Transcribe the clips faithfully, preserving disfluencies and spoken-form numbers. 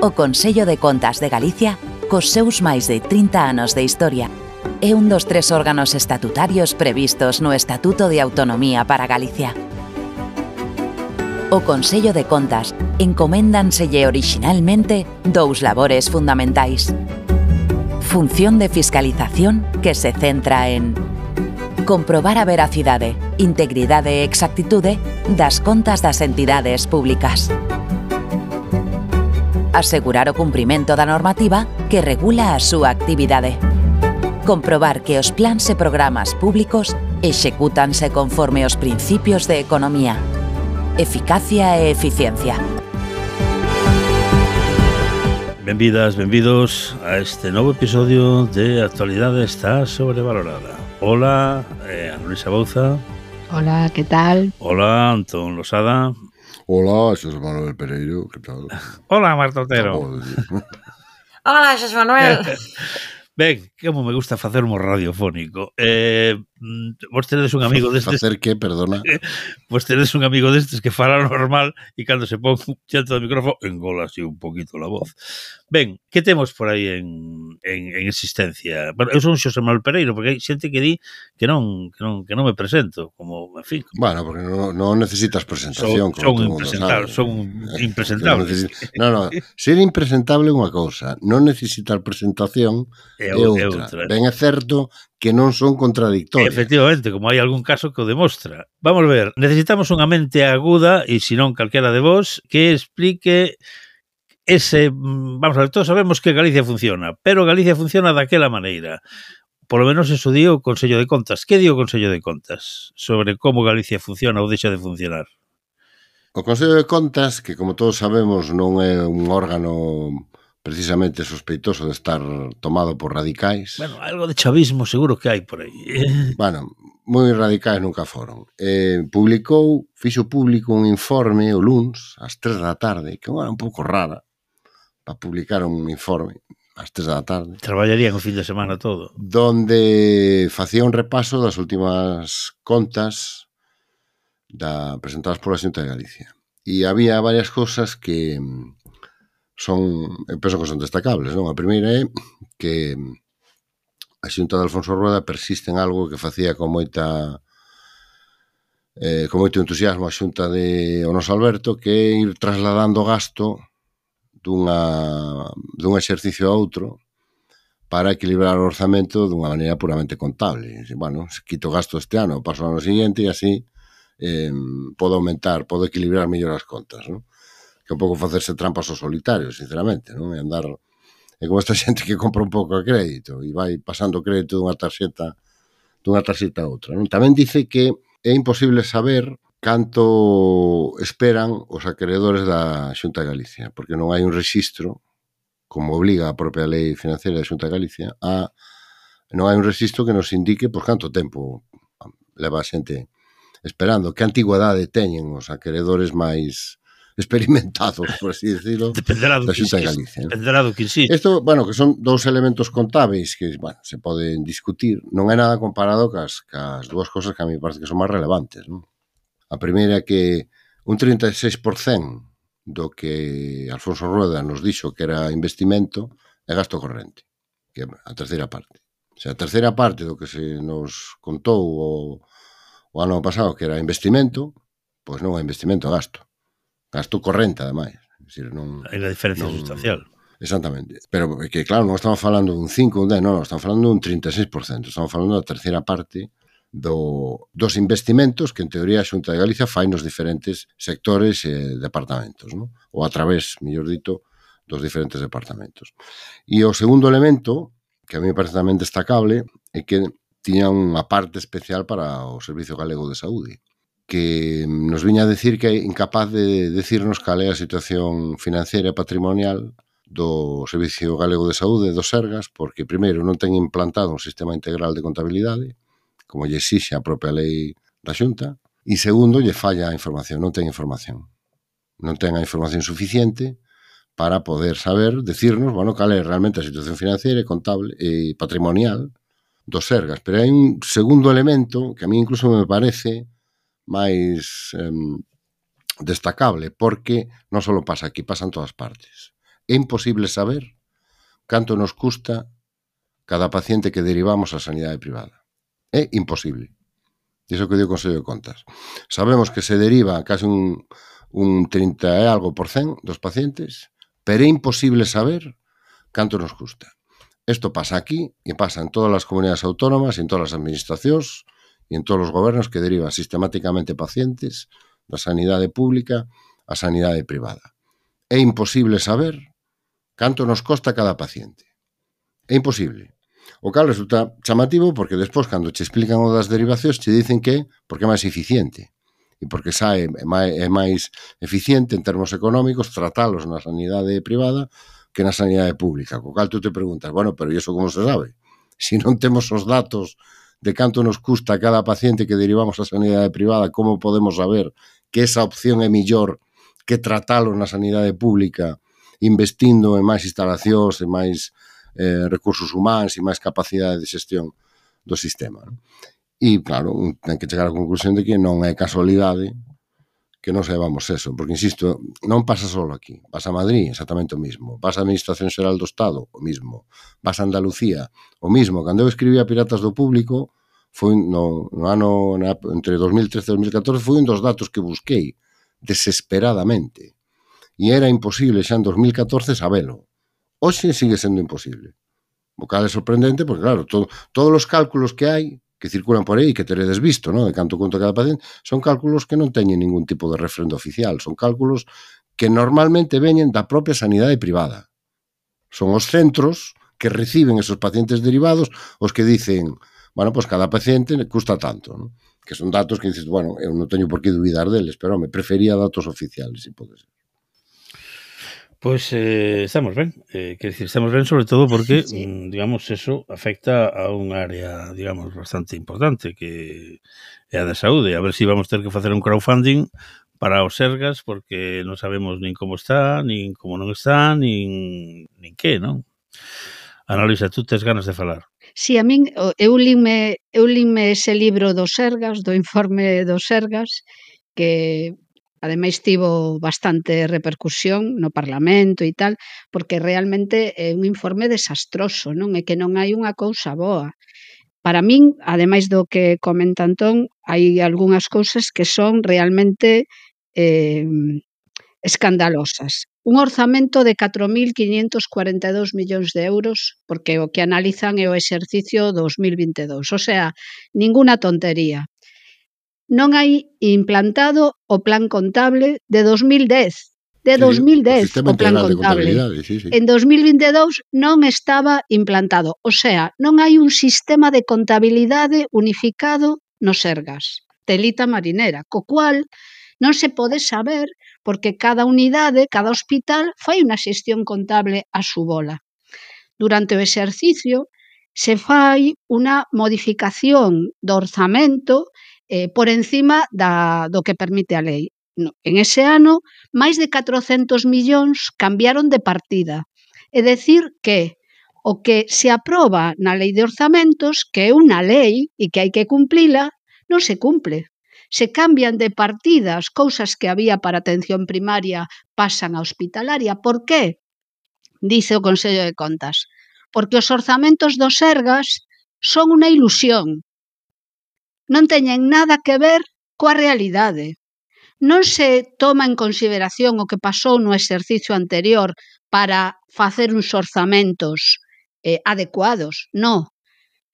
O Consello de Contas de Galicia, cos seus máis de trinta anos de historia, é un dos tres órganos estatutarios previstos no Estatuto de Autonomía para Galicia. O Consello de Contas encoméndanselle orixinalmente dous labores fundamentais. Función de fiscalización que se centra en comprobar a veracidade, integridade e exactitude das contas das entidades públicas. Asegurar o cumprimento da normativa que regula a súa actividade. Comprobar que os plans e programas públicos execútanse conforme os principios de economía, eficacia e eficiencia. Benvidas, benvidos a este novo episodio de Actualidade está sobrevalorada. Hola, eh, Ana Luisa Bouza. Hola, ¿qué tal? Hola, Antón Losada. Hola, Xosé Manuel Pereiro, ¿qué tal? Hola, Marta Otero. Hola, Xosé Manuel. Ben, como me gusta facer humor radiofónico. Eh, vos tenedes un amigo destes... Facer que, perdona? Vos tenedes un amigo destes que fala normal e cando se pon xente do micrófono engola así un poquito la voz. Ben, que temos por aí en, en, en existencia? Bueno, eu son Xosé Manuel Pereiro, porque hai xente que di que non, que non, que non me presento, como, en fin... Como... Bueno, porque non, non necesitas presentación. Son, son impresentable, son impresentable. Non, non, ser impresentable é unha cousa, non necesitar presentación é outra. outra. Ben é certo que non son contradictorias. Efectivamente, como hai algún caso que o demostra. Vamos ver, necesitamos unha mente aguda, e se non calquera de vos, que explique ese... Vamos a ver, todos sabemos que Galicia funciona, pero Galicia funciona daquela maneira. Por lo menos eso di o Consello de Contas. Que di o Consello de Contas sobre como Galicia funciona ou deixa de funcionar? O Consello de Contas, que como todos sabemos non é un órgano precisamente sospeitoso de estar tomado por radicais. Bueno, algo de chavismo seguro que hai por aí. Bueno, moi radicais nunca foron. Eh, publicou, fixo público un informe o luns, ás tres da tarde, que era un pouco rara, para publicar un informe ás tres da tarde. Traballarían o fin de semana todo. Donde facía un repaso das últimas contas da, presentadas pola Xunta de Galicia. E había varias cousas que son, eu penso que son destacables, non? A primeira é que a Xunta de Alfonso Rueda persiste en algo que facía con moita eh, con moito entusiasmo a Xunta de o noso Alberto, que é ir trasladando gasto dunha, dun exercicio a outro para equilibrar o orzamento dunha maneira puramente contable. Bueno, se quito gasto este ano, paso ao ano seguinte e así eh, podo aumentar, podo equilibrar mellor as contas, non? Que un pouco facerse trampas ao solitario, sinceramente, non? E andar... É como esta xente que compra un pouco a crédito e vai pasando crédito dunha tarxeta dunha tarxeta a outra, non? Tamén dice que é imposible saber canto esperan os acreedores da Xunta de Galicia, porque non hai un rexistro, como obliga a propia lei financiera da Xunta de Galicia, a non hai un rexistro que nos indique por canto tempo leva a xente esperando, que antigüedade teñen os acreedores máis experimentados, por así decirlo, dependerá do da Xunta de que Galicia. Dependerá do que insiste. Isto, bueno, que son dous elementos contábeis que, bueno, se poden discutir. Non é nada comparado cas, cas dúas cosas que a mí parece que son máis relevantes, non? A primeira é que un trinta e seis por cento do que Alfonso Rueda nos dixo que era investimento é gasto corrente, que é a terceira parte. O sea, a terceira parte do que se nos contou o, o ano pasado que era investimento, pois non é investimento, é gasto. Gasto corrente, ademais. É dicir, non, hai unha diferencia non, sustancial. Exactamente. Pero que, claro, non estamos falando dun cinco, un dez, non, estamos falando dun trinta e seis por cento. Estamos falando da terceira parte do, dos investimentos que, en teoría, a Xunta de Galicia fai nos diferentes sectores e departamentos, non? Ou a través, mellor dito, dos diferentes departamentos. E o segundo elemento, que a mí me parece tamén destacable, é que tiña unha parte especial para o Servicio Galego de Saúde, que nos viña a decir que é incapaz de decirnos cal é a situación financiera e patrimonial do Servicio Galego de Saúde, dos Sergas, porque, primeiro, non ten implantado un sistema integral de contabilidade, como lle exixe a propia lei da Xunta, e, segundo, lle falla a información, non ten información. Non ten a información suficiente para poder saber, decirnos, bueno, cal é realmente a situación financiera e contable e patrimonial dos Sergas. Pero hai un segundo elemento que a mí incluso me parece máis eh, destacable, porque non só pasa aquí, pasa en todas partes. é imposible saber canto nos custa cada paciente que derivamos á sanidade privada. É imposible. Iso que dio o Consello de Contas. Sabemos que se deriva casi un, un trinta e algo por cen dos pacientes, pero é imposible saber canto nos custa. Isto pasa aquí e pasa en todas as comunidades autónomas, en todas as administracións e en todos os gobernos que derivan sistemáticamente pacientes da sanidade pública á sanidade privada. É imposible saber canto nos costa cada paciente. É imposible. O cal resulta chamativo porque despois, cando che explican o das derivacións, che dicen que porque é máis eficiente e porque sae é máis, é máis eficiente en termos económicos tratalos na sanidade privada que na sanidade pública. Co cal tú te preguntas, bueno, pero iso como se sabe? Se non temos os datos de canto nos custa cada paciente que derivamos á sanidade privada, como podemos saber que esa opción é millor que tratalo na sanidade pública investindo en máis instalacións, en máis eh, recursos humanos e máis capacidade de xestión do sistema. E, claro, ten que chegar á conclusión de que non é casualidade que non saibamos eso, porque, insisto, non pasa só aquí, pasa a Madrid, exactamente o mismo, pasa a Administración Xeral do Estado, o mismo, pasa a Andalucía, o mismo. Cando eu escribía Piratas do Público, foi no, no ano, na, entre dos mil trece e dos mil catorce, foi un dos datos que busquei desesperadamente. E era imposible xa en dos mil catorce sabelo. Hoxe sigue sendo imposible. O cal é sorprendente, porque claro, todo, todos os cálculos que hai, que circulan por aí, que teredes visto, ¿no?, de canto conta cada paciente, son cálculos que non teñen ningún tipo de referendo oficial, son cálculos que normalmente veñen da propia sanidade privada. Son os centros que reciben esos pacientes derivados os que dicen, bueno, pues cada paciente custa tanto, ¿no? Que son datos que dices, bueno, eu non teño por que dubidar deles, pero me prefería datos oficiales, se pode ser. Pois eh, estamos ben, eh, quer dicir, estamos ben sobre todo porque, Sí. mm, digamos, eso afecta a un área, digamos, bastante importante que é a da saúde. A ver se si vamos ter que facer un crowdfunding para os Sergas porque non sabemos nin como está, nin como non está, nin, nin que, non? Ana Luisa, tú tes ganas de falar. Si, a min, o- eu linme, eu linme ese libro dos Sergas, do informe dos Sergas, que ademais tivo bastante repercusión no Parlamento e tal, porque realmente é un informe desastroso, non? É que non hai unha cousa boa. Para min, ademais do que comenta Antón, hai algunhas cousas que son realmente eh, escandalosas. Un orzamento de catro mil quiñentos cuarenta e dous millóns de euros, porque o que analizan é o exercicio dos mil vinte e dous, o sea, ninguna tontería. Non hai implantado o plan contable de dos mil dez, de dos mil dez Sistema o plan Integral de contable. Contabilidade, sí, sí. En dos mil vinte e dous non estaba implantado, o sea, non hai un sistema de contabilidade unificado nos Sergas, telita marinera, co cual non se pode saber porque cada unidade, cada hospital fai unha xestión contable a su bola. Durante o exercicio se fai unha modificación do orzamento eh, por encima da, do que permite a lei. No, en ese ano, máis de catrocentos millóns cambiaron de partida. É dicir que o que se aproba na lei de orzamentos, que é unha lei e que hai que cumplila, non se cumple. Se cambian de partidas, cousas que había para atención primaria pasan a hospitalaria. Por qué? Dice o Consello de Contas. Porque os orzamentos dos Sergas son unha ilusión. Non teñen nada que ver coa realidade. Non se toma en consideración o que pasou no exercicio anterior para facer uns orzamentos eh, adecuados. Non.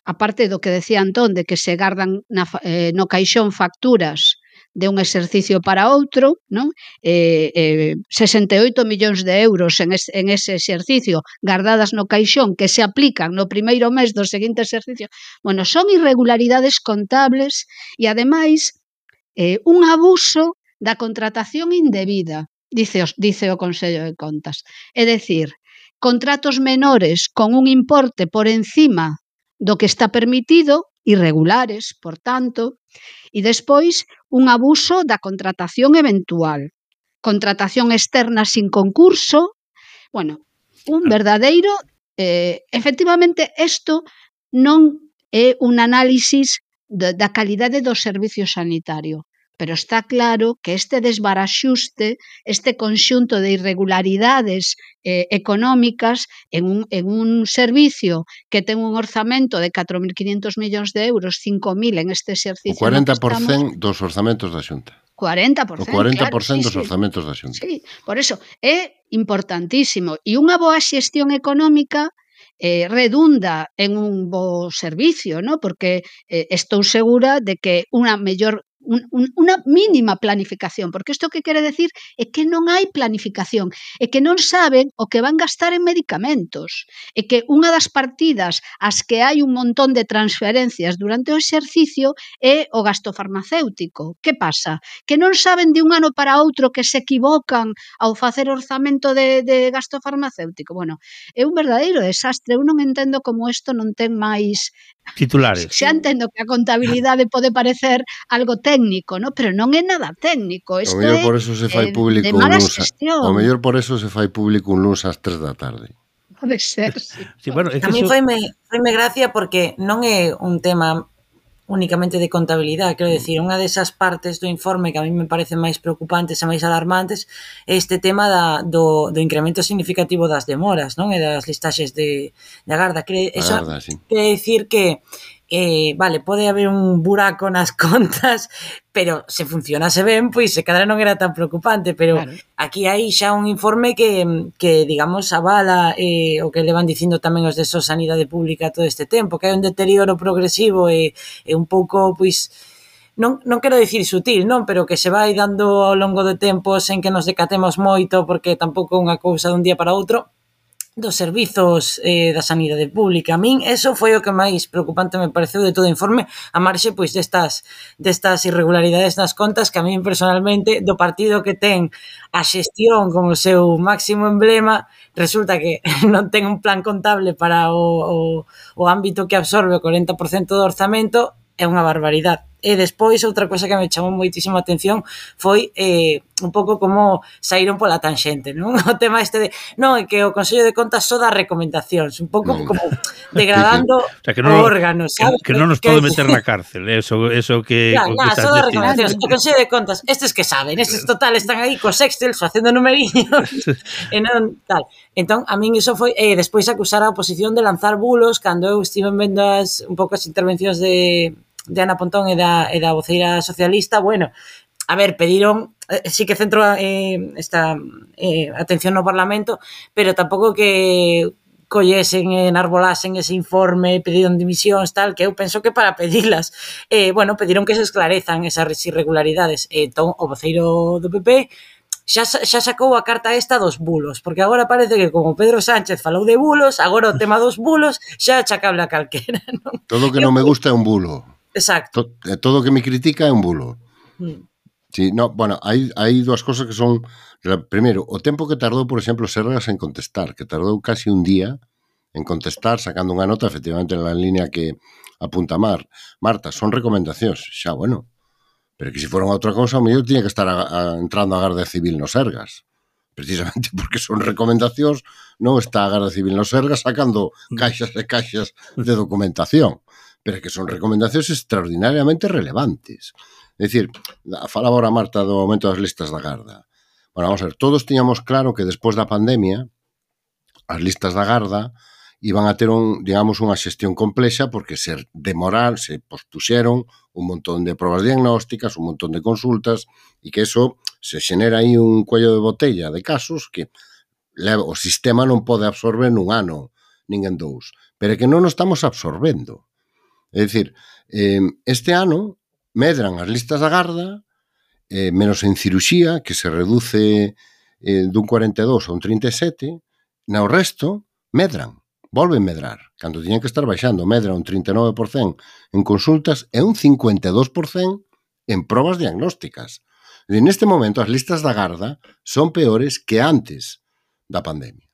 Aparte do que decía Antón, de que se gardan na, eh, no caixón facturas de un exercicio para outro, non? Eh, eh, sesenta e oito millóns de euros en, es, en ese exercicio gardadas no caixón que se aplican no primeiro mes do seguinte exercicio. Bueno, son irregularidades contables e, ademais, eh, un abuso da contratación indebida, dice, os, dice o Consello de Contas. É dicir, contratos menores con un importe por encima do que está permitido, irregulares, por tanto, e despois un abuso da contratación eventual, contratación externa sin concurso, bueno, un verdadeiro, eh, efectivamente, isto non é un análisis de, da calidade do servicio sanitario, pero está claro que este desbaraxuste, este conxunto de irregularidades eh, económicas en un, en un servicio que ten un orzamento de catro mil quinhentos millóns de euros, cinco mil en este O exercicio cuarenta no que por estamos, cento dos orzamentos da Xunta. cuarenta por O cento, cuarenta claro, por cento sí, dos sí. orzamentos da Xunta. Sí, por eso é importantísimo. E unha boa xestión económica eh, redunda en un bo servicio, ¿no? Porque eh, estou segura de que unha mellor un, un, unha mínima planificación, porque isto que quere decir é que non hai planificación, é que non saben o que van gastar en medicamentos, é que unha das partidas as que hai un montón de transferencias durante o exercicio é o gasto farmacéutico. Que pasa? Que non saben de un ano para outro que se equivocan ao facer orzamento de, de gasto farmacéutico. Bueno, é un verdadeiro desastre. Eu non entendo como isto non ten máis titulares. Xa entendo que a contabilidade pode parecer algo técnico, ¿no? Pero non é nada técnico. O Isto mellor é por eso se fai eh, público de un mala luns. xestión. O mellor por eso se fai público un luns ás tres da tarde. Pode ser, sí. Sí, bueno, é que A mí eso... foime, foime gracia porque non é un tema únicamente de contabilidade, quero decir, unha desas partes do informe que a mí me parecen máis preocupantes e máis alarmantes é este tema da, do, do incremento significativo das demoras, non? E das listaxes de, de agarda. Quere, eso Agarda, sí. quere decir que eh, vale, pode haber un buraco nas contas, pero se funcionase ben, pois se cadra non era tan preocupante, pero Claro. aquí hai xa un informe que, que digamos, avala eh, o que levan dicindo tamén os de So Sanidade Pública todo este tempo, que hai un deterioro progresivo e, e un pouco, pois, non, non quero dicir sutil, non, pero que se vai dando ao longo do tempo sen que nos decatemos moito, porque tampouco é unha cousa dun día para outro, dos servizos eh, da sanidade pública. A min eso foi o que máis preocupante me pareceu de todo o informe, a marxe pois destas destas irregularidades nas contas que a min personalmente do partido que ten a xestión como seu máximo emblema, resulta que non ten un plan contable para o, o, o ámbito que absorbe o cuarenta por cento do orzamento, é unha barbaridade. E despois, outra cosa que me chamou moitísimo a atención foi eh, un pouco como saíron pola tanxente, non? O tema este de, non, é que o Consello de Contas só dá recomendacións, un pouco Non. como degradando O sea, que o non, órgano, que, sabes? que non nos Que- pode meter na cárcel, eso, eso que, Claro, o que nada, estás só dá dicindo. recomendacións. O Consello de Contas, estes que saben, estes total están aí cos Excel facendo numeriños e non tal. Entón, a min iso foi, e eh, despois acusar a oposición de lanzar bulos cando eu estive vendo as, un pouco as intervencións de de Ana Pontón e da, e da voceira socialista, bueno, a ver, pediron, eh, sí que centro eh, esta eh, atención no Parlamento, pero tampouco que collesen e enarbolasen ese informe, pediron dimisións, tal, que eu penso que para pedilas. Eh, bueno, pediron que se esclarezan esas irregularidades. E entón, o voceiro do P P xa, xa sacou a carta esta dos bulos, porque agora parece que como Pedro Sánchez falou de bulos, agora o tema dos bulos xa é achacable a calquera, non? Todo o que non me gusta é un bulo. Exacto. To- Todo o que me critica é un bulo. Mm. Sí, no, bueno, hai, hai dúas cosas que son... Primeiro, o tempo que tardou, por exemplo, Sergas en contestar, que tardou casi un día en contestar, sacando unha nota, efectivamente, na línea que apunta Mar. Marta, son recomendacións. Xa, bueno, pero que se fora outra cousa, o mellor tiña que estar a, a, entrando a Garda Civil no Sergas. Precisamente porque son recomendacións, non está a Garda Civil no Sergas sacando caixas e caixas de documentación. Pero que son recomendacións extraordinariamente relevantes. É dicir, falaba ahora Marta do aumento das listas da Garda. Bueno, vamos a ver, todos tiñamos claro que despois da pandemia as listas da Garda iban a ter un, digamos, unha xestión complexa porque se demorar, se pospuxeron un montón de probas diagnósticas, un montón de consultas e que eso se xenera aí un cuello de botella de casos que o sistema non pode absorber nun ano, nin en dous. Pero que non o estamos absorbendo. É dicir, eh, este ano medran as listas da Garda, eh, menos en ciruxía, que se reduce eh, dun cuarenta e dous a un trinta e sete, no resto medran, volven medrar. Cando tiñan que estar baixando, medra un trinta e nove por cento en consultas e un cincuenta e dous por cento en probas diagnósticas. E neste momento as listas da Garda son peores que antes da pandemia.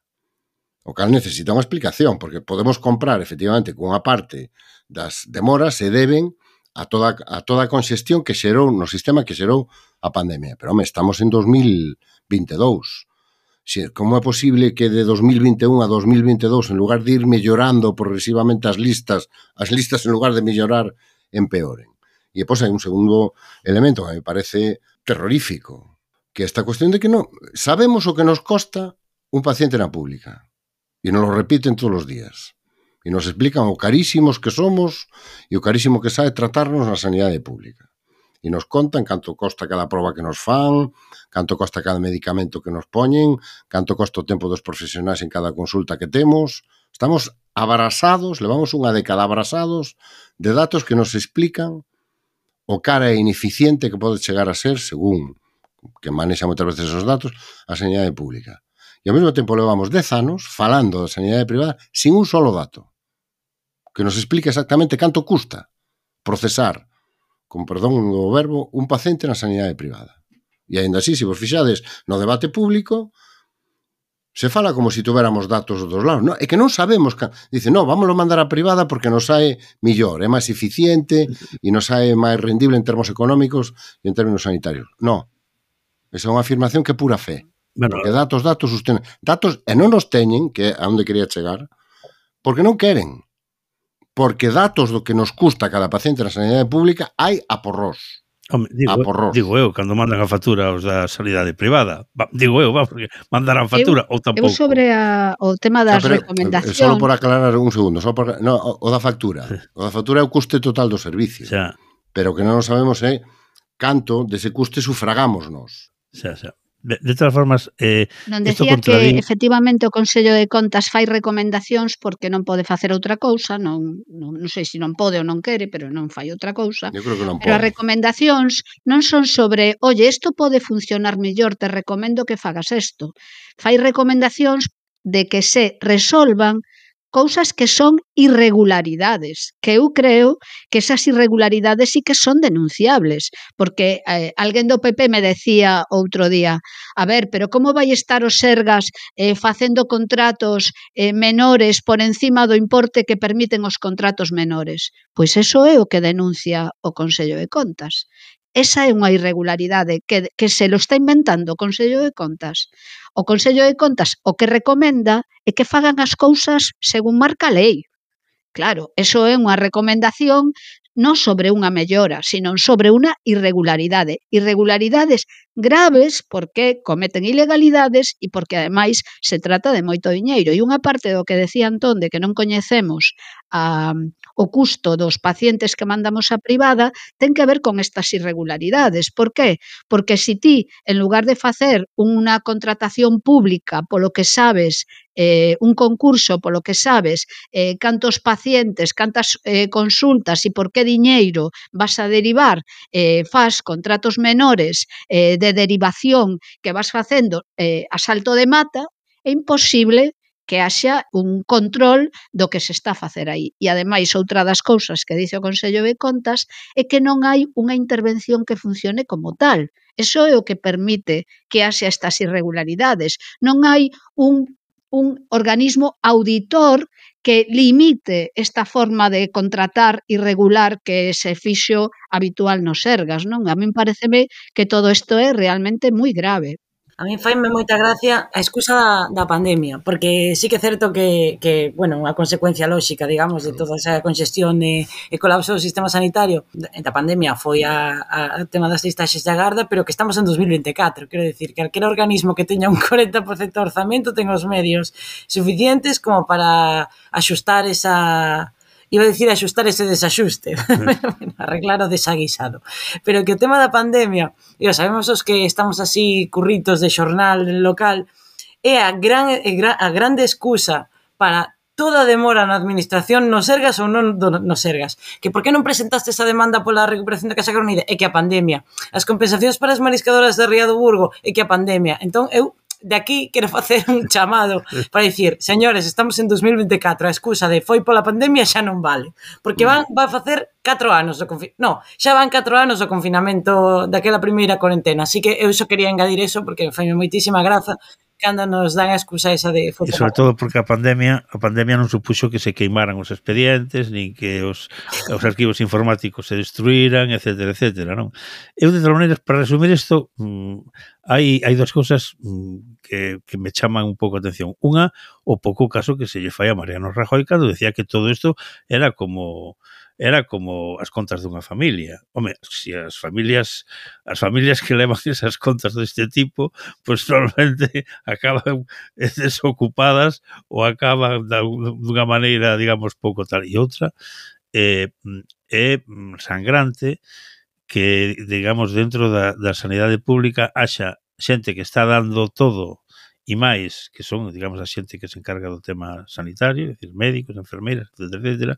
O cal necesita unha explicación, porque podemos comprar, efectivamente, con unha parte das demoras se deben a toda a toda a conxestión que xerou no sistema que xerou a pandemia. Pero, home, estamos en dos mil vinte e dous. Si, como é posible que de dos mil vinte e un a dos mil vinte e dous, en lugar de ir mellorando progresivamente as listas, as listas en lugar de mellorar, empeoren? E depois hai un segundo elemento que me parece terrorífico, que é esta cuestión de que non sabemos o que nos costa un paciente na pública. E nos lo repiten todos os días. E nos explican o carísimos que somos e o carísimo que sae tratarnos na sanidade pública. E nos contan canto costa cada proba que nos fan, canto costa cada medicamento que nos poñen, canto costa o tempo dos profesionais en cada consulta que temos. Estamos abrasados, levamos unha década abrasados de datos que nos explican o cara e ineficiente que pode chegar a ser, según que manexa moitas veces esos datos, a sanidade pública. E ao mesmo tempo levamos dez anos falando da sanidade privada sin un solo dato que nos explica exactamente canto custa procesar, con perdón do verbo, un paciente na sanidade privada. E ainda así, se vos fixades no debate público, se fala como se tuviéramos datos dos lados. No, é que non sabemos. Dice, no, vámoslo mandar a privada porque nos sae millor, é máis eficiente e nos sae máis rendible en termos económicos e en términos sanitarios. No, esa é unha afirmación que é pura fe. Bueno, porque datos, datos, sostenen. Datos, e non nos teñen, que é a onde quería chegar, porque non queren. Porque datos do que nos custa cada paciente na sanidade pública hai a porrós. Home, digo, digo eu, cando mandan a factura aos da sanidade privada, va, digo eu, va, porque mandarán factura eu, ou tampouco. Eu sobre a, o tema das o sea, recomendacións... Só por aclarar un segundo, só por, no, o da factura. O da factura é o custe total do servicio. Xa. Pero que non sabemos é canto dese custe sufragamos nos. Xa, xa. De, de todas formas, eh, non decía que efectivamente o Consello de Contas fai recomendacións porque non pode facer outra cousa, non, non, non sei se non pode ou non quere, pero non fai outra cousa. Eu creo que non pero pode. As recomendacións non son sobre, oye, isto pode funcionar mellor, te recomendo que fagas isto. Fai recomendacións de que se resolvan cousas que son irregularidades, que eu creo que esas irregularidades sí que son denunciables, porque eh, alguén do P P me decía outro día, a ver, pero como vai estar os Sergas eh, facendo contratos eh, menores por encima do importe que permiten os contratos menores? Pois eso é o que denuncia o Consello de Contas. Esa é unha irregularidade que, que se lo está inventando o Consello de Contas. O Consello de Contas o que recomenda é que fagan as cousas según marca a lei. Claro, eso é unha recomendación non sobre unha mellora, sino sobre unha irregularidade. Irregularidades graves porque cometen ilegalidades e porque ademais se trata de moito diñeiro. E unha parte do que decía Antón de que non coñecemos a, o custo dos pacientes que mandamos a privada ten que ver con estas irregularidades. Por qué? Porque se ti, en lugar de facer unha contratación pública polo que sabes, eh, un concurso polo que sabes eh, cantos pacientes, cantas eh, consultas e por que diñeiro vas a derivar, eh, faz contratos menores eh, de derivación que vas facendo eh, a salto de mata, é imposible que haxa un control do que se está a facer aí. E, ademais, outra das cousas que dice o Consello de Contas é que non hai unha intervención que funcione como tal. Eso é o que permite que haxa estas irregularidades. Non hai un, un organismo auditor que limite esta forma de contratar irregular que se fixo habitual nos Sergas, non? A min pareceme que todo isto é realmente moi grave. A mí faime moita gracia a excusa da, da pandemia, porque sí que é certo que, que, bueno, unha consecuencia lóxica, digamos, de toda esa congestión e, e colapso do sistema sanitario da pandemia foi a, a tema das listaxes de agarda, pero que estamos en dos mil vinte e catro, quero dicir, que calquera organismo que teña un corenta por cento de orzamento ten os medios suficientes como para axustar esa... Iba a dicir axustar ese desaxuste, arreglar o desaguisado. Pero que o tema da pandemia, e sabemos os que estamos así curritos de xornal local, é a, gran, a grande excusa para toda a demora na administración nos Sergas ou non nos Sergas. Que por que non presentaste esa demanda pola recuperación da Casa Coronida? É que a pandemia. As compensacións para as mariscadoras de Ría do Burgo? É que a pandemia. Entón, eu... de aquí quero facer un chamado para dicir, señores, estamos en dos mil vinte e catro, a excusa de foi pola pandemia xa non vale, porque van, van a facer catro anos do confinamento, no, xa van catro anos do confinamento daquela primeira cuarentena, así que eu só quería engadir eso porque faime moitísima graza cando nos dan a excusa esa de... E sobre todo porque a pandemia a pandemia non supuxo que se queimaran os expedientes, nin que os, os arquivos informáticos se destruíran, etcétera, etcétera, non? Eu, de todas maneiras, para resumir isto, mmm, hai, hai dos cousas mmm, que, que me chaman un pouco a atención. Unha, o pouco caso que se lle fai a Mariano Rajoy cando decía que todo isto era como era como as contas dunha familia. Home, se as familias as familias que levan esas contas deste tipo, pois pues, normalmente acaban desocupadas ou acaban dunha maneira, digamos, pouco tal. E outra é, é sangrante que, digamos, dentro da, da sanidade pública haxa xente que está dando todo e máis, que son, digamos, a xente que se encarga do tema sanitario, é dicir, médicos, enfermeiras, etcétera, etcétera,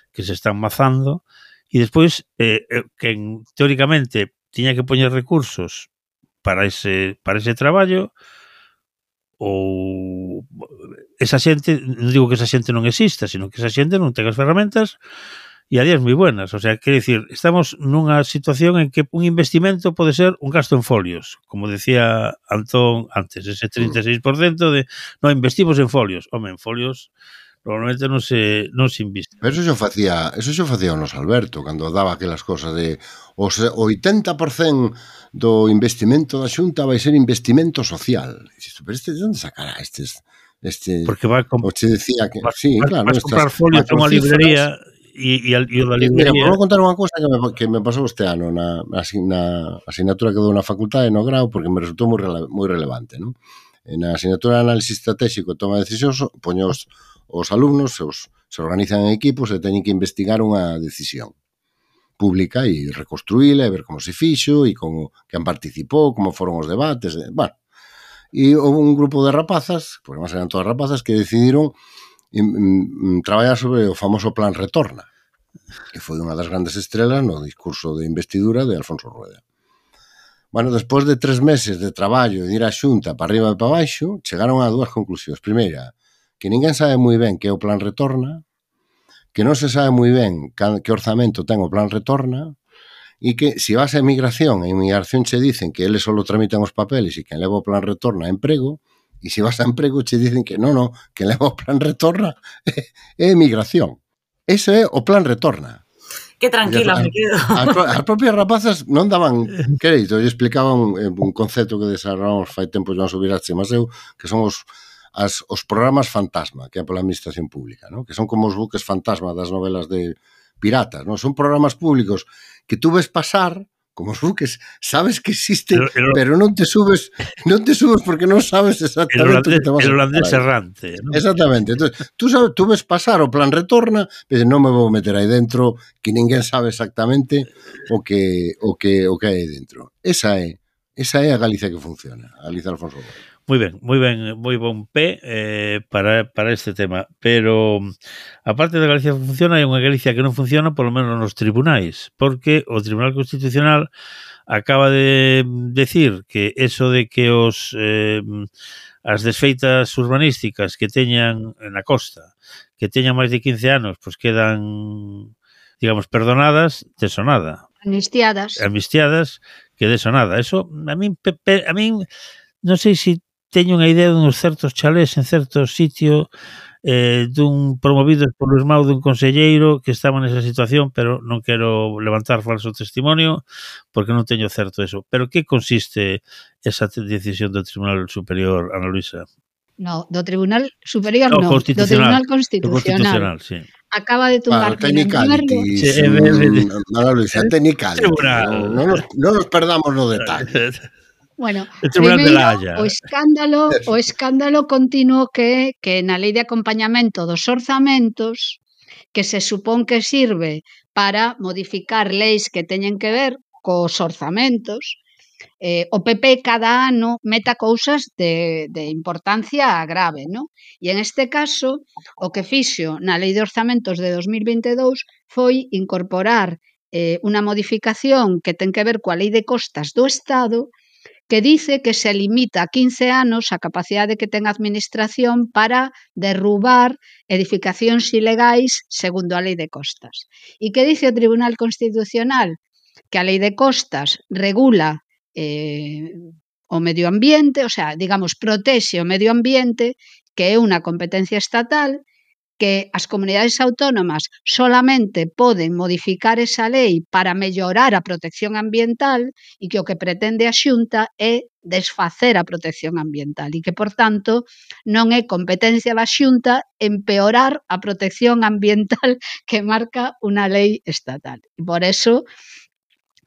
que se están mazando, e despois, eh, que teóricamente tiña que poñer recursos para ese, para ese traballo, ou esa xente, non digo que esa xente non exista, sino que esa xente non ten as ferramentas e a días moi buenas. O sea, quero dicir, estamos nunha situación en que un investimento pode ser un gasto en folios, como decía Antón antes, ese trinta e seis por cento de, no, investimos en folios. Home, en folios normalmente non se, non se inviste. Pero eso xo facía, eso xo facía o nos Alberto, cando daba aquelas cosas de os oitenta por cento do investimento da Xunta vai ser investimento social. Pero este, de onde sacará estes... Este, porque va a o che decía que... vas, sí, vas, claro, vas comprar folios a unha librería e, e, e o da librería... Mira, vou contar unha cousa que me, que me pasou este ano na, na, na asignatura que dou na facultade no grau, porque me resultou moi, rele, moi relevante, non? Na asignatura de análisis estratégico e toma de decisións, poño os, os alumnos, os, se organizan en equipos e teñen que investigar unha decisión pública e reconstruíla e ver como se fixo e como quen participou, como foron os debates, e, bueno. E houve un grupo de rapazas, porque máis eran todas rapazas, que decidiron mm, mm, traballar sobre o famoso Plan Retorna, que foi unha das grandes estrelas no discurso de investidura de Alfonso Rueda. Bueno, despois de tres meses de traballo e de ir á Xunta para arriba e para baixo, chegaron a dúas conclusións. Primeira, que ninguén sabe moi ben que é o Plan Retorna, que non se sabe moi ben que orzamento ten o Plan Retorna, e que se vas a emigración, a emigración che dicen que eles só tramitan os papeles e que leva o Plan Retorna a emprego, e se vas a emprego che dicen que non, non, que leva o Plan Retorna é, é emigración. Ese é o Plan Retorna. Que tranquila me quedo. As, as propias rapazas non daban crédito, e explicaban un concepto que desarrollamos fai tempo Joan Subirats e Maseu, que son os as, os programas fantasma que é pola administración pública, ¿no? Que son como os buques fantasma das novelas de piratas, ¿no? Son programas públicos que tú ves pasar como os buques, sabes que existen, el, el, pero non te subes, non te subes porque non sabes exactamente el holandés, que te vas a el holandés errante, ¿no? Exactamente. Entonces, tú sabes, tú ves pasar o Plan Retorna, pero non me vou meter aí dentro que ninguén sabe exactamente o que o que o que hai dentro. Esa é, esa é a Galicia que funciona, a Galicia Alfonso Rueda. Moi ben, moi ben, moi bon pé eh, para, para este tema, pero aparte da Galicia que funciona, hai unha Galicia que non funciona, polo menos nos tribunais, porque o Tribunal Constitucional acaba de decir que eso de que os eh, as desfeitas urbanísticas que teñan na costa, que teñan máis de quince anos, pois quedan, digamos, perdonadas, deso nada. Amnistiadas. Amnistiadas, que deso nada. Eso, a min, a min non sei se teño unha idea duns certos chalés en certos sitios eh, dun promovidos por Luis Mau dun conselleiro que estaba nesa situación, pero non quero levantar falso testimonio porque non teño certo eso. Pero que consiste esa decisión do Tribunal Superior, Ana Luisa? No, do Tribunal Superior no, no, do Tribunal Constitucional Constitucional. sí. Acaba de tumbar bueno, technicality, sí, Ana Luisa, technicality. Non nos, no nos perdamos no detalle. Bueno, primeiro, o escándalo, o escándalo continuo que que na lei de acompañamento dos orzamentos, que se supón que sirve para modificar leis que teñen que ver cos orzamentos, eh, o P P cada ano meta cousas de, de importancia grave, ¿no? E en este caso, o que fixo na lei de orzamentos de dos mil vinte e dous foi incorporar eh, unha modificación que ten que ver coa lei de costas do Estado, que dice que se limita a quince anos a capacidade que ten a administración para derrubar edificacións ilegais segundo a lei de costas. E que dice o Tribunal Constitucional? Que a lei de costas regula eh, o medio ambiente, o sea, digamos, protexe o medio ambiente, que é unha competencia estatal, que as comunidades autónomas solamente poden modificar esa lei para mellorar a protección ambiental e que o que pretende a Xunta é desfacer a protección ambiental e que, por tanto, non é competencia da Xunta empeorar a protección ambiental que marca unha lei estatal. E por eso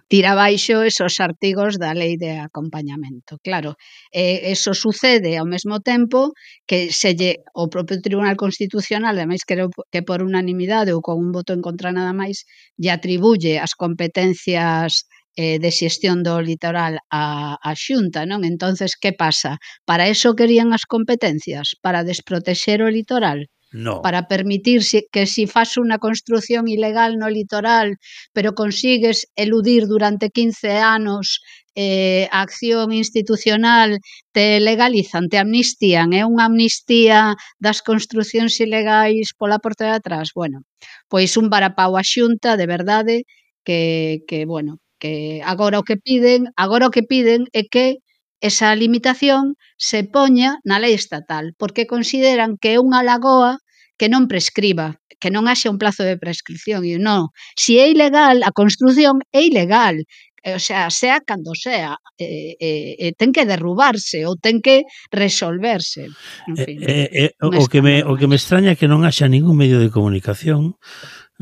tira abaixo esos artigos da lei de acompañamento. Claro, eh, eso sucede ao mesmo tempo que se lle, o propio Tribunal Constitucional, ademais creo que por unanimidade ou con un voto en contra nada máis, lle atribuye as competencias eh, de xestión do litoral a, a Xunta, non? Entonces, que pasa? Para eso querían as competencias? Para desprotexer o litoral? No. Para permitir que si fas unha construción ilegal no litoral, pero consigues eludir durante quince anos eh, a acción institucional, te legalizan, te amnistían, é unha amnistía das construcións ilegais pola porta de atrás. Bueno, pois un varapau a Xunta, de verdade, que, que bueno, que agora o que piden, agora o que piden é que esa limitación se poña na lei estatal, porque consideran que é unha lagoa que non prescriba, que non haxa un plazo de prescripción. E non, se é ilegal, a construción é ilegal, o sea, sea cando sea, eh, eh, ten que derrubarse ou ten que resolverse. En fin, eh, eh, o, que me, o que me extraña é que non haxa ningún medio de comunicación,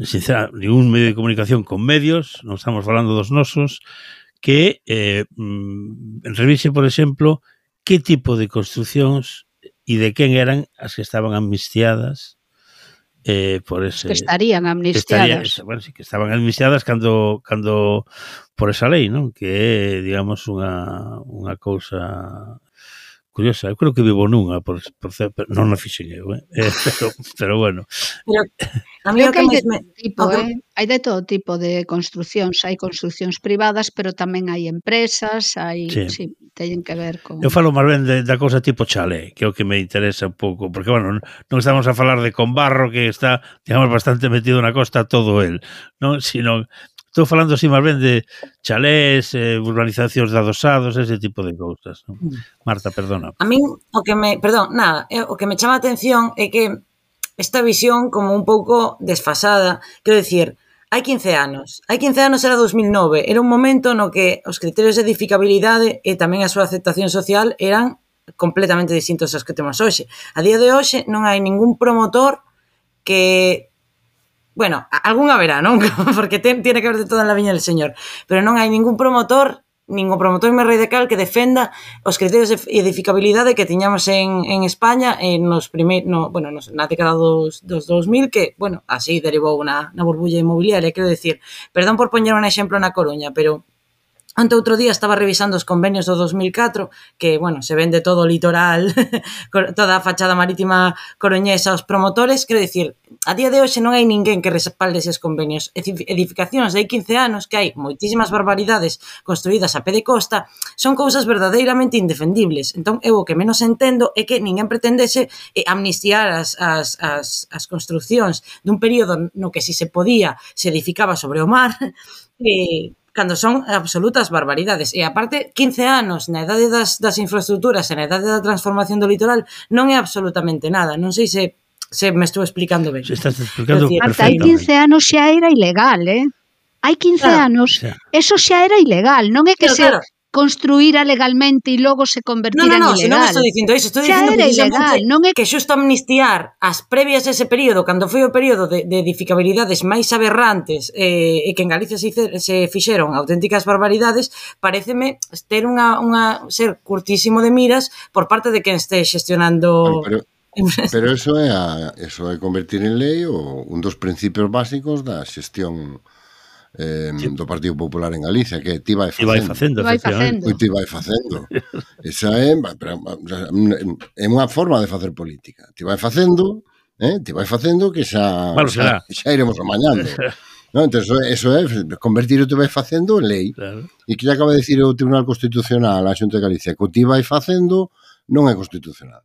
sincera, ningún medio de comunicación con medios, non estamos falando dos nosos, que eh, revise, por exemplo, que tipo de construcións e de quen eran as que estaban amnistiadas eh, por ese... Que estarían amnistiadas. Que, estaría, bueno, sí, que estaban amnistiadas cando, cando por esa lei, non? Que é, digamos, unha, unha cousa curiosa. Eu creo que vivo nunha, por, por, non na fixen eu, eh? eh pero, pero bueno. Pero a mí creo o que, que hai de me... tipo, eh? hai de todo tipo de construcións, hai construcións privadas, pero tamén hai empresas, hai, sí, sí teñen que ver con... Eu falo máis ben de, da cousa tipo chalé, que é o que me interesa un pouco, porque, bueno, non estamos a falar de Conbarro, que está, digamos, bastante metido na costa todo el, non? Sino... Estou falando así máis ben de chalés, eh, urbanizacións de adosados, ese tipo de cousas. ¿No? Marta, perdona. A min, o que me... Perdón, nada, o que me chama a atención é que esta visión como un pouco desfasada, quero dicir, hai quince anos. Hai quince anos era dos mil nove. Era un momento no que os criterios de edificabilidade e tamén a súa aceptación social eran completamente distintos aos que temos hoxe. A día de hoxe non hai ningún promotor que... Bueno, algún haberá, non? Porque ten, tiene que haber de todo en la viña del señor. Pero non hai ningún promotor, ningún promotor radical que defenda os criterios de edificabilidade que tiñamos en, en España en nos primeir, no, bueno, nos, na década dos, dos dos mil, que, bueno, así derivou na, na burbulla inmobiliaria, quero decir. Perdón por poñer un exemplo na Coruña, pero... Ante outro día estaba revisando os convenios do dos mil catro, que, bueno, se vende todo o litoral, toda a fachada marítima coruñesa aos promotores, quero dicir, a día de hoxe non hai ninguén que respalde eses convenios. Edificacións de hai quince anos, que hai moitísimas barbaridades construídas a pé de costa, son cousas verdadeiramente indefendibles. Entón, eu o que menos entendo é que ninguén pretendese amnistiar as, as, as, as construcións dun período no que si se podía, se edificaba sobre o mar, e... cando son absolutas barbaridades. E aparte, quince anos na edade das, das infraestructuras e na edade da transformación do litoral non é absolutamente nada. Non sei se, se me estou explicando ben. Se estás explicando perfectamente. Hasta hai quince anos xa era ilegal, eh? Hai quince claro, anos, xa. Eso xa era ilegal. Non é que claro, se... Claro. Construíra legalmente e logo se convertira no, no, no, en ilegal. Non, non, se non estou dicindo iso, estou dicindo ilegal, non é... que xusto amnistiar as previas a ese período, cando foi o período de, de edificabilidades máis aberrantes eh, e que en Galicia se, se fixeron auténticas barbaridades, pareceme ter unha, unha ser curtísimo de miras por parte de quen este xestionando... Pero, pero eso é a, eso é convertir en lei o, un dos principios básicos da xestión Eh, sí. do Partido Popular en Galicia, que ti vai facendo. Ti vai facendo, ti vai facendo. Esa é, é unha forma de facer política. Ti vai facendo, eh, ti vai facendo que xa, bueno, xa, xa iremos amañando. No, entón, eso é convertir o te vai facendo en lei. Claro. E que acaba de dicir o Tribunal Constitucional a Xunta de Galicia, que o ti vai facendo non é constitucional.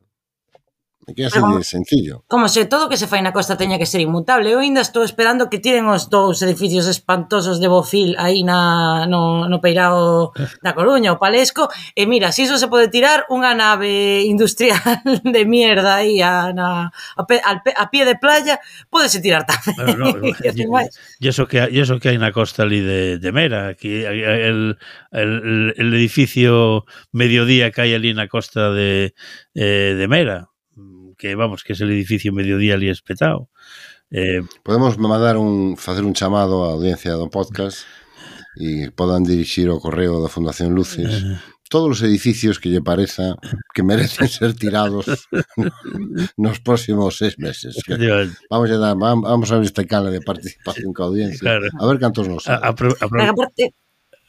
É que é así de sencillo. Como se todo que se fai na costa teña que ser inmutable. Eu ainda estou esperando que tiren os dous edificios espantosos de Bofil aí na, no, no Peirao da Coruña, o Palesco, e mira, se iso se pode tirar unha nave industrial de mierda aí a, na, a, pe, a, a pie de playa, pódese tirar tamén. Bueno, no, e eso que e eso que hai na costa ali de, de Mera, que el, el, el edificio Mediodía que hai ali na costa de, eh, de Mera, que vamos, que es el edificio Mediodía ali espetado. Eh, Podemos mandar un facer un chamado á audiencia do podcast e podan dirixir o correo da Fundación Luces eh, todos os edificios que lle pareza que merecen ser tirados nos próximos seis meses. Vamos a dar, vamos a ver este cala de participación ca audiencia, claro. A ver cantos nos sale. A, a, a, a,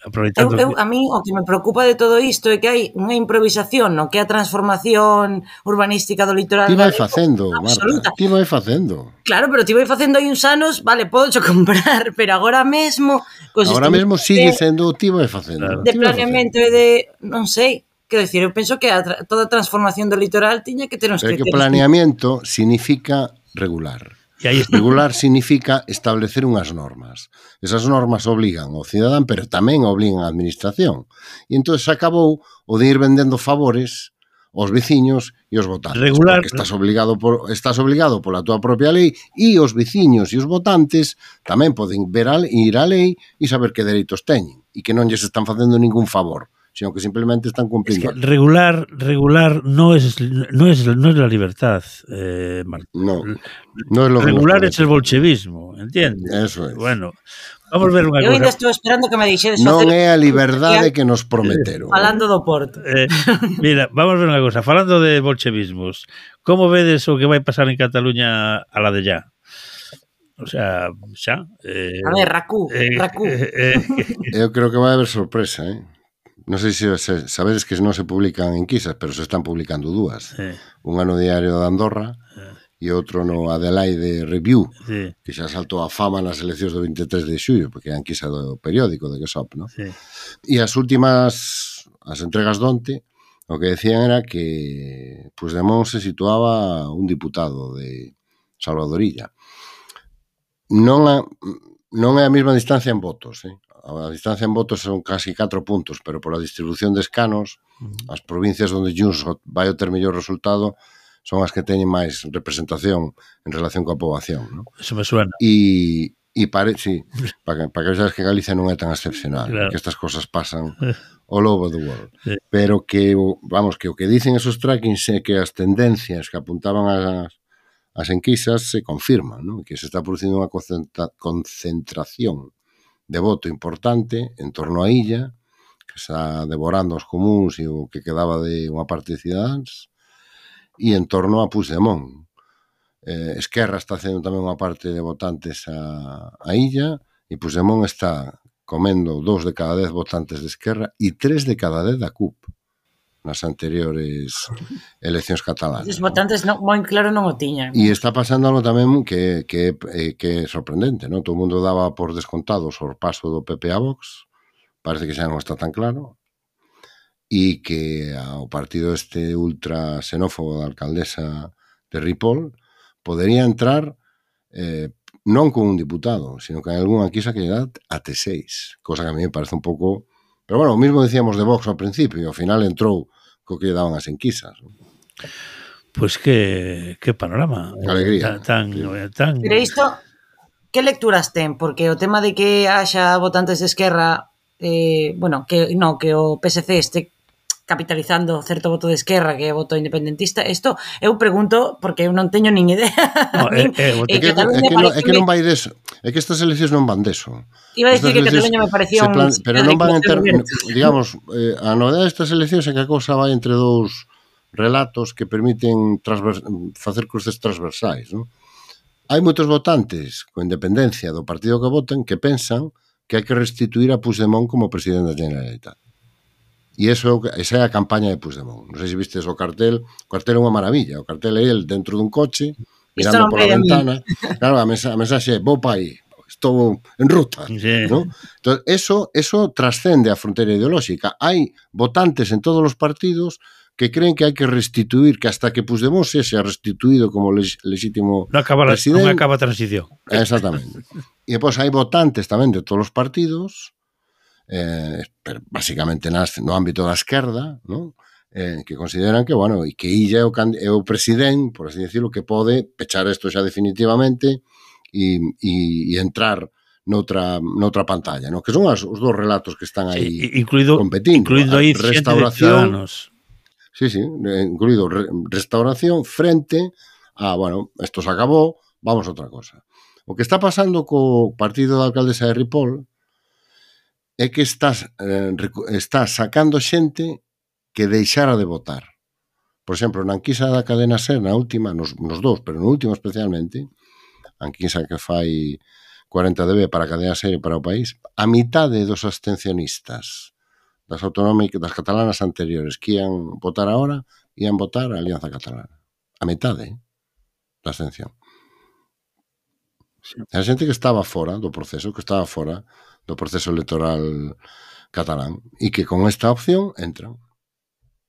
aproveitando eu, eu, a mí o que me preocupa de todo isto é que hai unha improvisación no que é a transformación urbanística do litoral. Ti vai facendo, Marta, ti vai facendo. Claro, pero ti vai facendo aí uns anos, vale, podo cho comprar, pero agora mesmo... Agora mesmo sigue sendo ti vai facendo. De planeamento e de, non sei, quero dicir, eu penso que a, toda a transformación do litoral tiña que ter uns criterios. Pero que planeamento significa regular. E aí regular significa establecer unhas normas. Esas normas obligan ao cidadán, pero tamén obligan á administración. E entón se acabou o de ir vendendo favores aos veciños e aos votantes. Regular. Porque estás obligado, por, estás obligado pola tua propia lei e os veciños e os votantes tamén poden ver a, ir á lei e saber que dereitos teñen e que non lles están facendo ningún favor, sino que simplemente están cumpliendo. Es que regular, regular no es, no es, no es la libertad, eh, Marta. No, no es lo que regular es el bolchevismo, ¿entiendes? Eso es. Bueno, vamos a ver unha cosa. Eu ainda cosa. estou esperando que me dixedes non é a liberdade que nos prometeron. Falando do Porto. Eh, mira, vamos a ver unha cosa. Falando de bolchevismos, como vedes o que vai pasar en Cataluña a la de ya? O sea, xa... Eh, a ver, Racú, eh, Racú. Eh, eh, eu creo que vai haber sorpresa, eh? Non sei se, se sabedes que non se publican enquisas, pero se están publicando dúas. Sí. Unha no Diario de Andorra sí. E outro no Adelaide Review, sí. Que xa saltou a fama nas eleccións do veintitrés de xullo, porque é a enquisa do periódico de Gesop, ¿no? Sí. E as últimas, as entregas donte, o que decían era que Puigdemont se situaba un diputado de Salvadorilla. Non a, non é a mesma distancia en votos, eh? A distancia en votos son casi catro puntos, pero pola distribución de escanos, uh-huh. As provincias onde Junts vai a ter mellor resultado son as que teñen máis representación en relación coa poboación, ¿no? Eso me suena. E, e pare, sí, para que, para que veas que Galicia non é tan excepcional, claro. Que estas cosas pasan all over the world. Sí. Pero que, vamos, que o que dicen esos trackings é que as tendencias que apuntaban as, as enquisas se confirman, ¿no? Que se está producindo unha concentra, concentración de voto importante en torno á illa, que está devorando os comuns e o que quedaba de unha parte de Cidadáns, e en torno a Puigdemont. Eh, Esquerra está facendo tamén unha parte de votantes a, a illa, e Puigdemont está comendo dous de cada dez votantes de Esquerra e tres de cada dez da C U P nas anteriores eleccións catalanas. Os votantes non, moi claro non o tiñan. E está pasando algo tamén que, que, que é sorprendente, non? Todo o mundo daba por descontado o paso do P P a Vox, parece que xa non está tan claro, e que o partido este ultra xenófobo da alcaldesa de Ripoll podería entrar eh, non con un diputado, sino que hai algunha quisa que lle dá até seis, cosa que a mí me parece un pouco... Pero bueno, o mismo decíamos de Vox ao principio, e ao final entrou co que lle daban as enquisas. Pois pues que, que panorama. Alegría. Tan, tan... Pero isto, que lecturas ten? Porque o tema de que haxa votantes de Esquerra, eh, bueno, que no, que o P S C este capitalizando certo voto de Esquerra que é voto independentista, isto eu pregunto porque eu non teño nin idea. No, é, é, é, que, é, que no, é que non vai deso. É que estas eleccións non van deso. Iba a dicir que Cataluña me parecía un... Plan, pero non van entrar, digamos, eh, a novedade destas eleccións é que a cousa vai entre dous relatos que permiten transvers, facer cruces transversais, non? Hai moitos votantes con independencia do partido que voten que pensan que hai que restituir a Puigdemont como presidente da Generalitat. E iso, esa é a campaña de Puigdemont. Non sei se vistes o cartel. O cartel é unha maravilla. O cartel é el dentro dun coche, mirando pola ventana. Claro, a, mensa, a mensaxe é, vou pa aí, estou en ruta. Sí. ¿No? Entón, eso, eso trascende a fronteira ideolóxica. Hai votantes en todos os partidos que creen que hai que restituir, que hasta que Puigdemont sexa restituído como legítimo non acaba, presidente... Non acaba a transición. Exactamente. E depois hai votantes tamén de todos os partidos, eh, pero basicamente nas, no ámbito da esquerda, ¿no? eh, que consideran que, bueno, e que Illa é o, é o presidente, por así decirlo, que pode pechar isto xa definitivamente e, e, e entrar noutra, noutra pantalla, ¿no? Que son as, os dos relatos que están aí sí, incluído, competindo. Incluindo aí restauración, sí, sí, incluído re, restauración frente a, bueno, esto se acabó, vamos a outra cosa. O que está pasando co partido da alcaldesa de Ripoll é que estás, eh, está sacando xente que deixara de votar. Por exemplo, na enquisa da cadena SER, na última, nos, nos dous, pero no último especialmente, a enquisa que fai cuarenta D B para a cadena SER e para o país, a mitade dos abstencionistas das autonómicas, das catalanas anteriores que ian votar agora, ian votar a Alianza Catalana. A mitade, eh, da abstención. A xente que estaba fora do proceso, que estaba fora do proceso electoral catalán, e que con esta opción entran.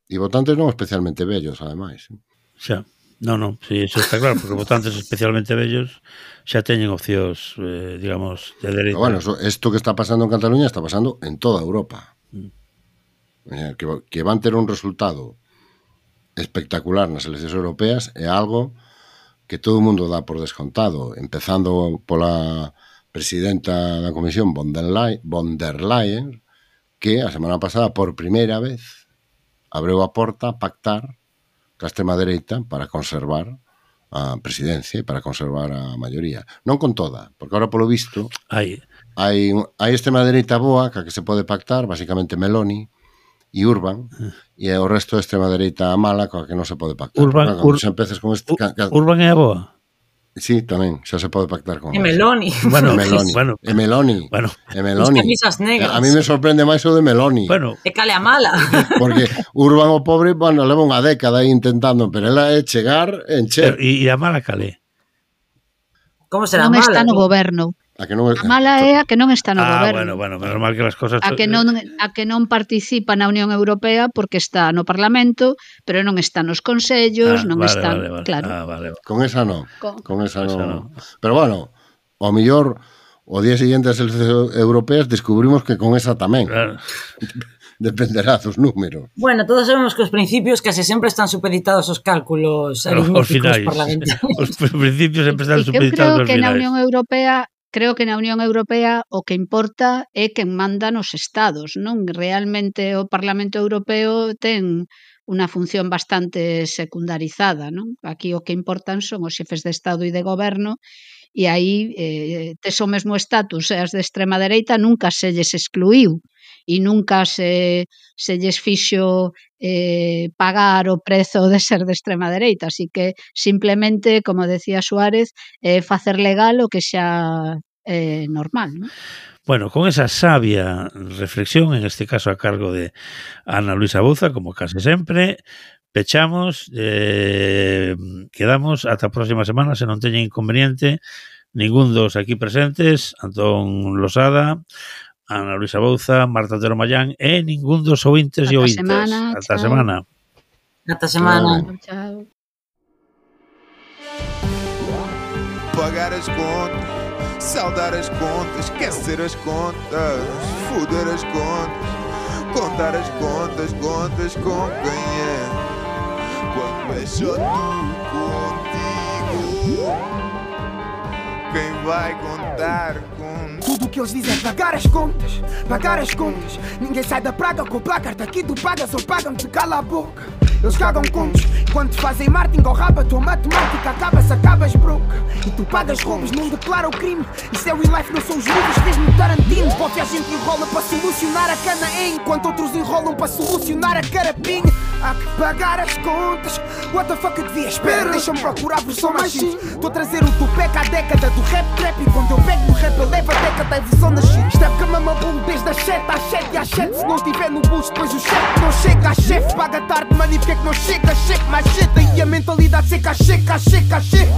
E votantes non especialmente vellos, ademais. Xa, non, non, sí, eso está claro, porque votantes especialmente vellos xa teñen opcións, eh, digamos, de dereita. Pero bueno, isto que está pasando en Cataluña está pasando en toda Europa. Mm. Que, que van ter un resultado espectacular nas eleccións europeas é algo que todo o mundo dá por descontado, empezando pola presidenta da Comisión von der Leyen, von der Leyen, que a semana pasada, por primeira vez, abreu a porta a pactar ca extrema dereita para conservar a presidencia e para conservar a maioría. Non con toda, porque ahora polo visto hai, hai, hai extrema dereita boa ca que se pode pactar, basicamente Meloni e Urban, e o resto de extrema dereita mala coa que non se pode pactar. Urban, Ur, se empeces con este, ca, ca, Urban é a boa? Sí, tamén, xa se pode pactar con E Meloni. Bueno, e Meloni. Bueno, e Meloni. Bueno. E Meloni. Camisas negras. A mí me sorprende máis o de Meloni. Bueno. E cale a mala. Porque Urban o pobre, bueno, leva unha década aí intentando, pero ela é chegar, encher. E a mala cale? Como será non mala? Está no goberno. A, que non, a mala é a que non está no ah, goberno. Bueno, bueno, menos mal que as cosas... A que non a que non participa na Unión Europea porque está no Parlamento, pero non está nos consellos, ah, non vale, está, vale, vale. claro. Ah, vale, vale. Con esa non. Con, con esa non. no. Pero bueno, ao mellor o día seguinte das eleccións europeas descubrimos que con esa tamén. Claro. Dependerá dos números. Bueno, todos sabemos que os principios case sempre están supeditados aos cálculos aritméticos parlamentarios. Os principios sempre están supeditados aos finais. Eu creo que na Unión Europea Creo que na Unión Europea o que importa é quen manda nos estados, non? Realmente o Parlamento Europeo ten unha función bastante secundarizada, non? Aquí o que importan son os xefes de Estado e de Goberno e aí eh, tes o mesmo estatus, as de extrema dereita nunca se lles excluíu e nunca se, se lles fixo eh, pagar o prezo de ser de extrema dereita, así que simplemente, como decía Suárez, eh, facer legal o que xa é eh, normal, non? Bueno, con esa sabia reflexión, en este caso a cargo de Ana Luisa Bouza, como case sempre, pechamos, eh, quedamos ata a próxima semana, se non teñen inconveniente ningún dos aquí presentes, Antón Losada, Ana Luisa Bouza, Marta Otero Mayán e ningún dos ouvintes e ouvintes. Semana, ata chao. semana. Ata semana. Chao. Pagar as contas, saldar as contas, esquecer as contas, foder as contas, contar as contas, contas com quem é, quando é só tu contigo, quem vai contar com... Tudo o que eles dizem é pagar as contas, pagar as contas. Ninguém sai da praga com placar, daqui tu pagas ou pagam-te, cala a boca. Eles cagam contos, quando te fazem marketing ou raba, tua matemática acaba-se, acabas broke. E tu pagas roubos, não declara o crime. Isso é o life, não são os livros, fez-me Tarantino. Porque a gente enrola para solucionar a cana, enquanto outros enrolam para solucionar a carapinha. Há que pagar as contas, what the fuck eu devia esperar? Deixa-me procurar a versão mais X. Estou a trazer o Tupac à década do rap trap. E quando eu pego no rap eu levo a década, a versão da shit. Isto é porque a mama bolo desde as sete às sete e às sete. Se não estiver no bolso depois o chefe não chega a chefe. Paga tarde, mano, e porque é que não chega? Cheque mais cheta e a mentalidade seca, checa, checa, checa.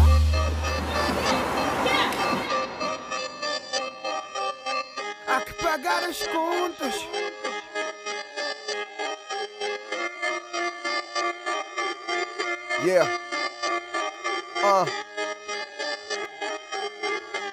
Há que pagar as contas. Yeah. Uh.